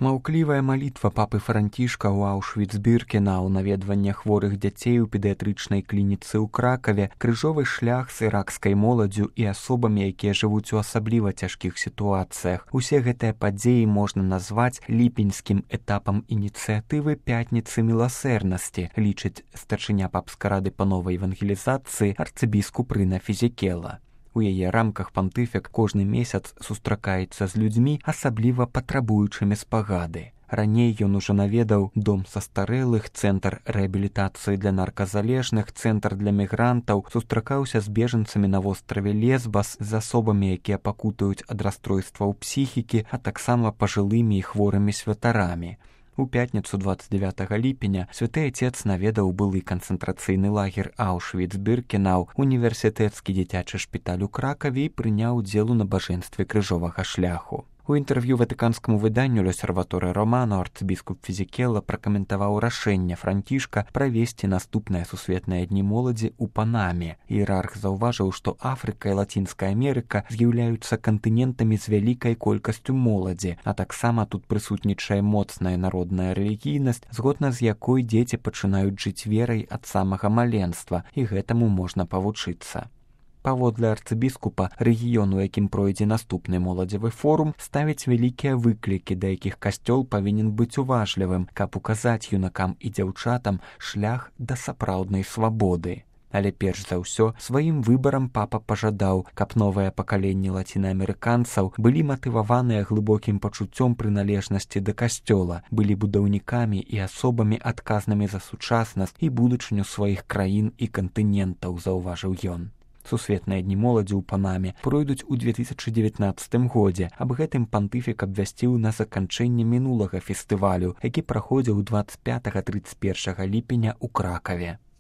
Маўклівая малітва папы Францішка ў Аўшвіц-Біркенау, наведвання хворых дзяцей у педыятрычнай клініцы ў Кракаве, крыжовы шлях з іракскай моладдзю і асобамі, якія жывуць у асабліва цяжкіх сітуацыях. Усе гэтыя падзеі можна назваць ліпеньскім этапам ініцыятывы «Пятніцы міласэрнасці», лічыць старшыня папскай рады па новай евангелізацыі арцыбіскуп Рына Фізікела. У яе рамках пантыфік кожны месяц сустракаецца з людзьмі, асабліва патрабуючымі спагады. Раней ён ужо наведаў дом састарэлых, цэнтр рэабілітацыі для нарказалежных, цэнтр для мігрантаў, сустракаўся з бежанцамі на востраве Лесбас, з асобамі, якія пакутаюць ад расстройстваў псіхікі, а таксама пажылымі і хворымі святарамі. У пятніцу 29 ліпеня святы отец наведаў былы канцэнтрацыйны лагер Аўшвіц-Біркенау, універсітэцкі дзіцячы шпіталь у Кракаве і прыняў удзел у набажэнстве крыжовага шляху. У інтэрв'ю ватыканскаму выданню «Л'осерваторе Романо» арцыбіскуп Фізікела пракаментаваў рашэнне Францішка правесці наступныя сусветныя дні моладзі ў Панаме. Іерарх заўважыў, што Афрыка і Лацінская Амерыка з'яўляюцца кантынентамі з вялікай колькасцю моладзі, а таксама тут прысутнічае моцная народная рэлігійнасць, згодна з якой дзеці пачынаюць жыць верай ад самага маленства, і гэтаму можна павучыцца. Паводле арцыбіскупа, рэгіён, у якім пройдзе наступны моладзевы форум, ставіць вялікія выклікі, да якіх касцёл павінен быць уважлівым, каб указаць юнакам і дзяўчатам шлях да сапраўднай свабоды. Але перш за ўсё, сваім выбарам папа пажадаў, каб новае пакаленне лацінаамерыканцаў былі матываваныя глыбокім пачуццём прыналежнасці да касцёла, былі будаўнікамі і асобамі адказнымі за сучаснасць і будучыню сваіх краін і кантынентаў, заўважыў ён. Сусветныя дні моладзі ў Панаме пройдуць у 2019 годзе. Аб гэтым пантыфік абвясціў на заканчэнне мінулага фестывалю, які праходзіў 25-31 ліпеня ў Кракаве.